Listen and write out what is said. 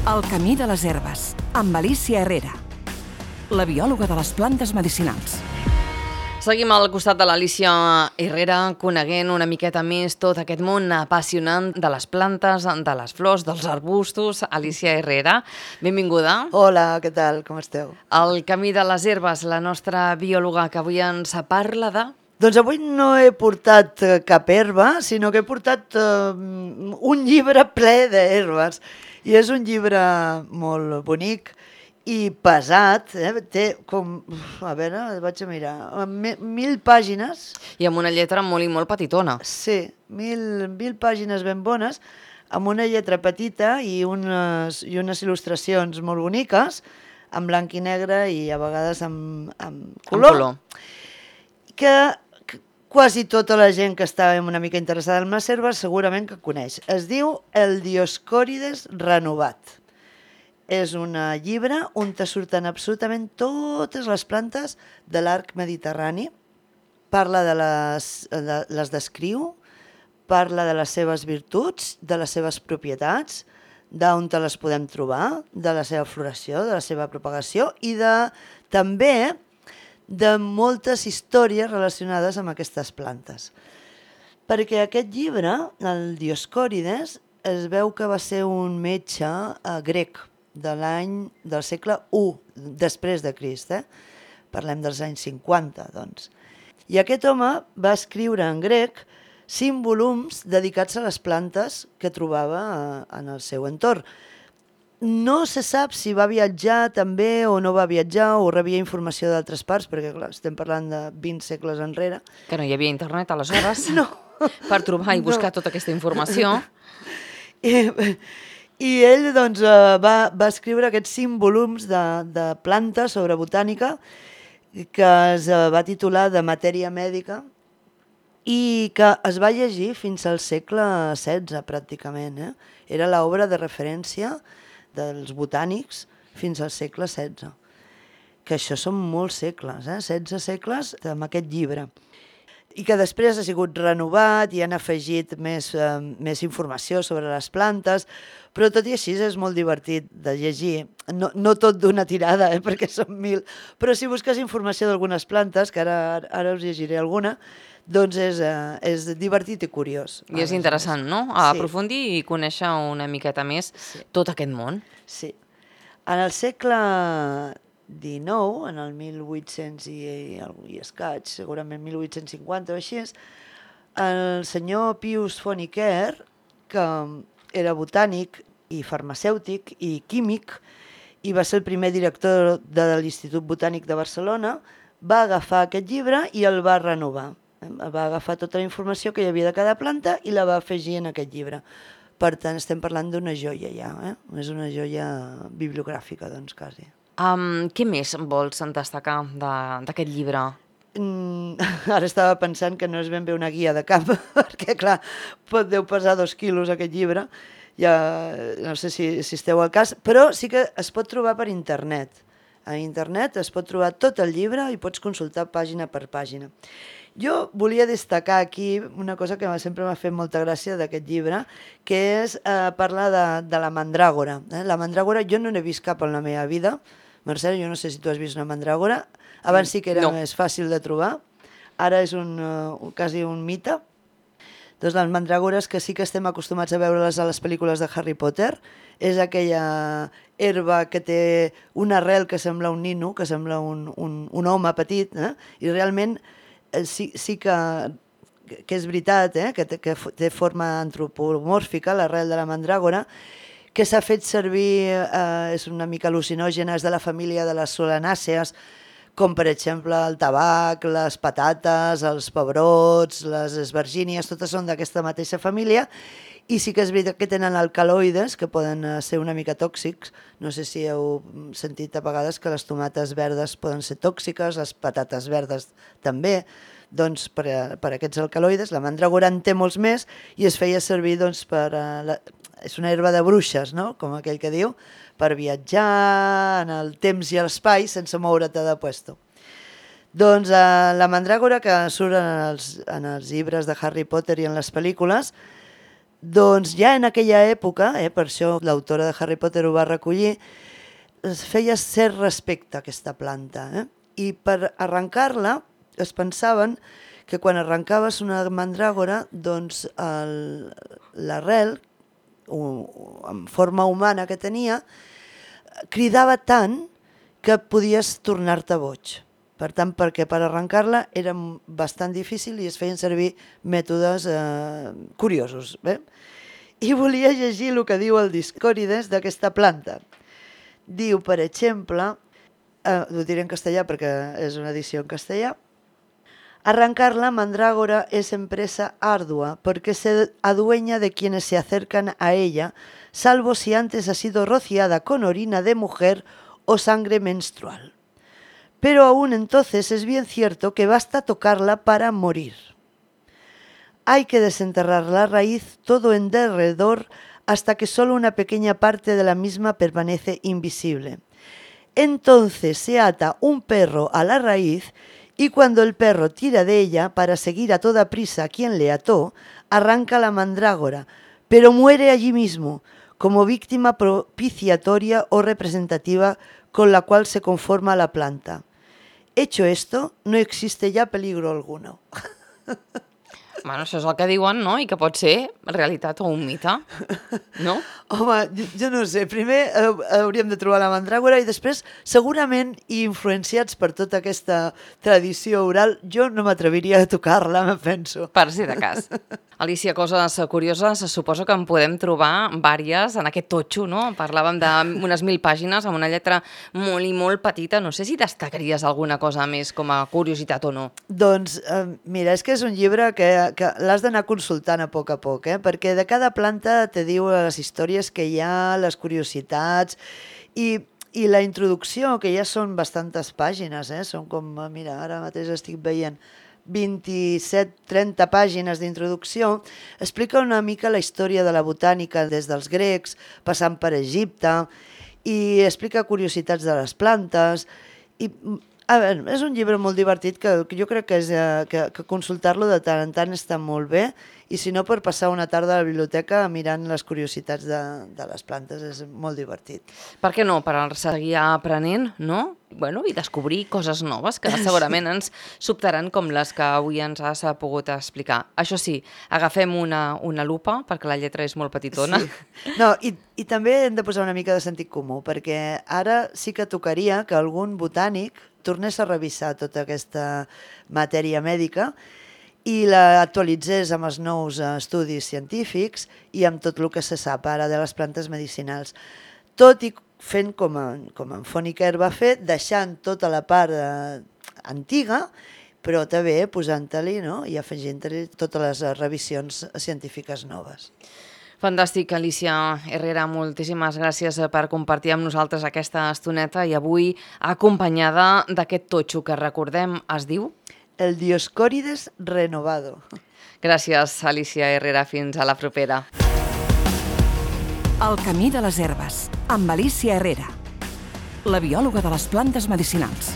El camí de les herbes, amb Alicia Herrera, la biòloga de les plantes medicinals. Seguim al costat de l'Alicia Herrera, coneguent una miqueta més tot aquest món apassionant de les plantes, de les flors, dels arbustos. Alicia Herrera, benvinguda. Hola, què tal? Com esteu? El camí de les herbes, la nostra biòloga que avui ens parla de... Doncs avui no he portat cap herba, sinó que he portat un llibre ple d'herbes. I és un llibre molt bonic i pesat, té com, a veure, vaig a mirar, 1.000 pàgines. I amb una lletra molt i molt petitona. Sí, 1.000 pàgines ben bones, amb una lletra petita i unes il·lustracions molt boniques, en blanc i negre i a vegades amb color. Que quasi tota la gent que està una mica interessada en les herbes segurament que coneix. Es diu El Dioscòrides renovat. És un llibre on te surten absolutament totes les plantes de l'arc mediterrani. Parla les descriu, parla de les seves virtuts, de les seves propietats, d'on te les podem trobar, de la seva floració, de la seva propagació i també de moltes històries relacionades amb aquestes plantes. Perquè aquest llibre, el Dioscòrides, es veu que va ser un metge grec del segle I després de Crist. Parlem dels anys 50, doncs. I aquest home va escriure en grec 5 volums dedicats a les plantes que trobava en el seu entorn. No se sap si va viatjar també o no va viatjar o rebia informació d'altres parts, perquè clar, estem parlant de 20 segles enrere. Que no hi havia internet aleshores? No. Per trobar i buscar tota aquesta informació. I ell doncs, va escriure aquests 5 volums de plantes sobre botànica que es va titular de Matèria Mèdica i que es va llegir fins al segle XVI pràcticament. Era l'obra de referència dels botànics fins al segle XVI. Que això són molts segles, 16 segles amb aquest llibre. I que després ha sigut renovat i han afegit més informació sobre les plantes, però tot i així és molt divertit de llegir. No tot d'una tirada, perquè són 1.000, però si busques informació d'algunes plantes, que ara us llegiré alguna, doncs és divertit i curiós. I és interessant, no? Aprofundir i conèixer una miqueta més tot aquest món. Sí. En el segle XIX, en el 1800 i escaig, segurament 1850 o així, el senyor Pius Fonecker, que era botànic i farmacèutic i químic, i va ser el primer director de l'Institut Botànic de Barcelona, va agafar aquest llibre i el va renovar. Va agafar tota la informació que hi havia de cada planta i la va afegir en aquest llibre. Per tant, estem parlant d'una joia ja, és una joia bibliogràfica, doncs, quasi. Què més vols destacar d'aquest llibre? Ara estava pensant que no és ben bé una guia de camp, perquè, clar, deu pesar 2 quilos aquest llibre, ja no sé si esteu al cas, però sí que es pot trobar per internet. A internet es pot trobar tot el llibre i pots consultar pàgina per pàgina. Jo volia destacar aquí una cosa que sempre m'ha fet molta gràcia d'aquest llibre, que és parlar de la mandràgora. La mandràgora jo no n'he vist cap en la meva vida. Mercè, jo no sé si tu has vist una mandràgora. Abans sí que era més fàcil de trobar. Ara és quasi un mite. Doncs les mandràgores que sí que estem acostumats a veure-les a les pel·lícules de Harry Potter, és aquella herba que té una arrel que sembla un nino, que sembla un home petit, i realment sí que és veritat, que té forma antropomòrfica, l'arrel de la mandràgora, que s'ha fet servir, és una mica al·lucinògena, és de la família de les solanàcees, com per exemple el tabac, les patates, els pebrots, les esvergínies, totes són d'aquesta mateixa família, i sí que és veritat que tenen alcaloides que poden ser una mica tòxics. No sé si heu sentit a vegades que les tomates verdes poden ser tòxiques, les patates verdes també. Doncs per aquests alcaloides, la mandragora en té molts més i es feia servir és una herba de bruixes, no? Com aquell que diu, per viatjar en el temps i l'espai sense moure't de puesto. Doncs la mandràgora que surt en els llibres de Harry Potter i en les pel·lícules Doncs ja en aquella època, per això l'autora de Harry Potter ho va recollir, es feia cert respecte a aquesta planta. I per arrencar-la es pensaven que quan arrencaves una mandràgora, doncs l'arrel, en forma humana que tenia, cridava tant que podies tornar-te boig. Per tant, perquè per arrencar-la era bastant difícil i es feien servir mètodes curiosos. I volia llegir el que diu el Dioscòrides d'aquesta planta. Diu, per exemple, ho diré en castellà perquè és una edició en castellà: arrancar la mandrágora es empresa ardua porque se adueña de quienes se acercan a ella, salvo si antes ha sido rociada con orina de mujer o sangre menstrual. Pero aún entonces es bien cierto que basta tocarla para morir. Hay que desenterrar la raíz todo en derredor hasta que solo una pequeña parte de la misma permanece invisible. Entonces se ata un perro a la raíz y cuando el perro tira de ella para seguir a toda prisa a quien le ató, arranca la mandrágora, pero muere allí mismo, como víctima propiciatoria o representativa con la cual se conforma la planta. Hecho esto, no existe ya peligro alguno. Bueno, això és el que diuen, no? I que pot ser realitat o un mite, no? Home, jo no sé. Primer hauríem de trobar la mandràgora i després, segurament, i influenciats per tota aquesta tradició oral, jo no m'atreviria a tocar-la, me penso. Per si de cas. Alicia, coses curioses, suposo que en podem trobar vàries en aquest totxo, no? Parlàvem d'unes 1.000 pàgines amb una lletra molt i molt petita. No sé si destacaries alguna cosa més com a curiositat o no. Doncs, mira, és que és un llibre que l'has d'anar consultant a poc, perquè de cada planta te diu les històries que hi ha, les curiositats i la introducció, que ja són bastantes pàgines, són com, mira, ara mateix estic veient 27-30 pàgines d'introducció, explica una mica la història de la botànica des dels grecs, passant per Egipte, i explica curiositats de les plantes, i a veure, és un llibre molt divertit que jo crec que consultar-lo de tant en tant està molt bé, i si no, per passar una tarda a la biblioteca mirant les curiositats de les plantes és molt divertit. Per què no? Per seguir aprenent, no? Bueno, i descobrir coses noves que segurament ens sobtaran com les que avui ens has pogut explicar. Això sí, agafem una lupa perquè la lletra és molt petitona. Sí. No, i també hem de posar una mica de sentit comú, perquè ara sí que tocaria que algun botànic tornés a revisar tota aquesta matèria mèdica i l'actualitzés amb els nous estudis científics i amb tot el que se sap ara de les plantes medicinals. Tot i fent com en Fonecker va fer, deixant tota la part antiga, però també posant-li, no?, i afegint-li totes les revisions científiques noves. Fantàstic, Alicia Herrera, moltíssimes gràcies per compartir amb nosaltres aquesta estoneta i avui acompanyada d'aquest totxo que recordem es diu... El Dioscòrides renovado. Gràcies, Alicia Herrera. Fins a la propera. El camí de les herbes, amb Alicia Herrera, la biòloga de les plantes medicinals.